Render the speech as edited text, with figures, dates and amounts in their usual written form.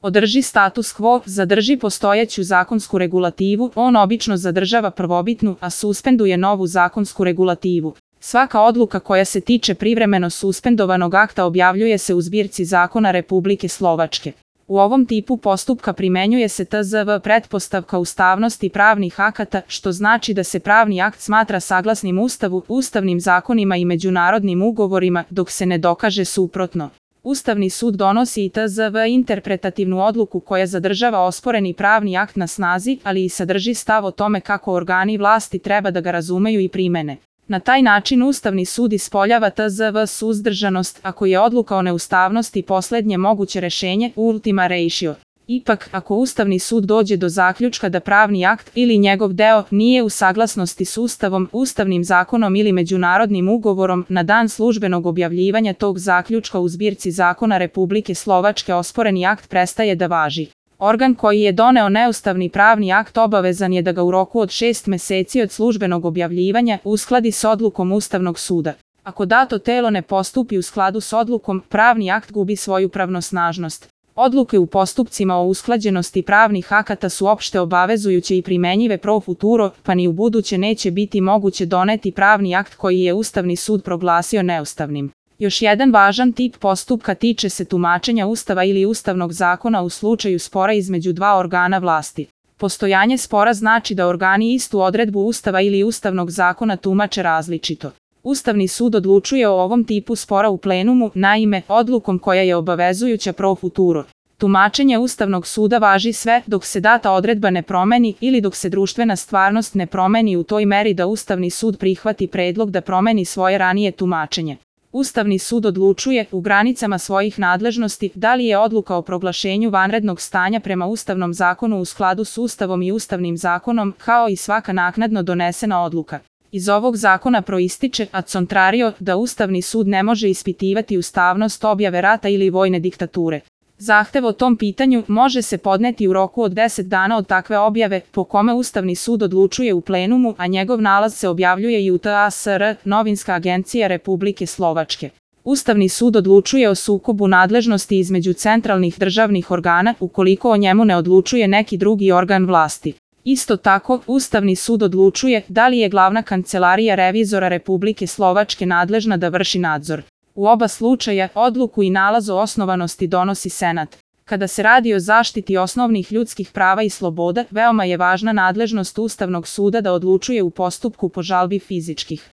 održi status quo, zadrži postojeću zakonsku regulativu, on obično zadržava prvobitnu, a suspenduje novu zakonsku regulativu. Svaka odluka koja se tiče privremeno suspendovanog akta objavljuje se u zbirci zakona Republike Slovačke. U ovom tipu postupka primenjuje se tzv. Pretpostavka ustavnosti pravnih akata, što znači da se pravni akt smatra saglasnim Ustavu, ustavnim zakonima i međunarodnim ugovorima, dok se ne dokaže suprotno. Ustavni sud donosi i tzv. Interpretativnu odluku koja zadržava osporeni pravni akt na snazi, ali i sadrži stav o tome kako organi vlasti treba da ga razumeju i primene. Na taj način Ustavni sud ispoljava tzv. Suzdržanost, ako je odluka o neustavnosti poslednje moguće rešenje, ultima ratio. Ipak, ako Ustavni sud dođe do zaključka da pravni akt ili njegov deo nije u saglasnosti s Ustavom, ustavnim zakonom ili međunarodnim ugovorom, na dan službenog objavljivanja tog zaključka u zbirci zakona Republike Slovačke osporeni akt prestaje da važi. Organ koji je doneo neustavni pravni akt obavezan je da ga u roku od 6 meseci od službenog objavljivanja uskladi s odlukom Ustavnog suda. Ako dato telo ne postupi u skladu s odlukom, pravni akt gubi svoju pravnosnažnost. Odluke u postupcima o usklađenosti pravnih akata su opšte obavezujuće i primenjive pro futuro, pa ni u buduće neće biti moguće doneti pravni akt koji je Ustavni sud proglasio neustavnim. Još jedan važan tip postupka tiče se tumačenja Ustava ili ustavnog zakona u slučaju spora između dva organa vlasti. Postojanje spora znači da organi istu odredbu Ustava ili ustavnog zakona tumače različito. Ustavni sud odlučuje o ovom tipu spora u plenumu, naime, odlukom koja je obavezujuća pro futuro. Tumačenje Ustavnog suda važi sve dok se data odredba ne promeni ili dok se društvena stvarnost ne promeni u toj meri da Ustavni sud prihvati predlog da promeni svoje ranije tumačenje. Ustavni sud odlučuje, u granicama svojih nadležnosti, da li je odluka o proglašenju vanrednog stanja prema Ustavnom zakonu u skladu s Ustavom i Ustavnim zakonom, kao i svaka naknadno donesena odluka. Iz ovog zakona proističe, ad contrario, da Ustavni sud ne može ispitivati ustavnost objave rata ili vojne diktature. Zahtev o tom pitanju može se podneti u roku od 10 dana od takve objave, po kome Ustavni sud odlučuje u plenumu, a njegov nalaz se objavljuje i u TASR, Novinska agencija Republike Slovačke. Ustavni sud odlučuje o sukobu nadležnosti između centralnih državnih organa, ukoliko o njemu ne odlučuje neki drugi organ vlasti. Isto tako, Ustavni sud odlučuje da li je glavna kancelarija revizora Republike Slovačke nadležna da vrši nadzor. U oba slučaja, odluku i nalaz o osnovanosti donosi Senat. Kada se radi o zaštiti osnovnih ljudskih prava i sloboda, veoma je važna nadležnost Ustavnog suda da odlučuje u postupku po žalbi fizičkih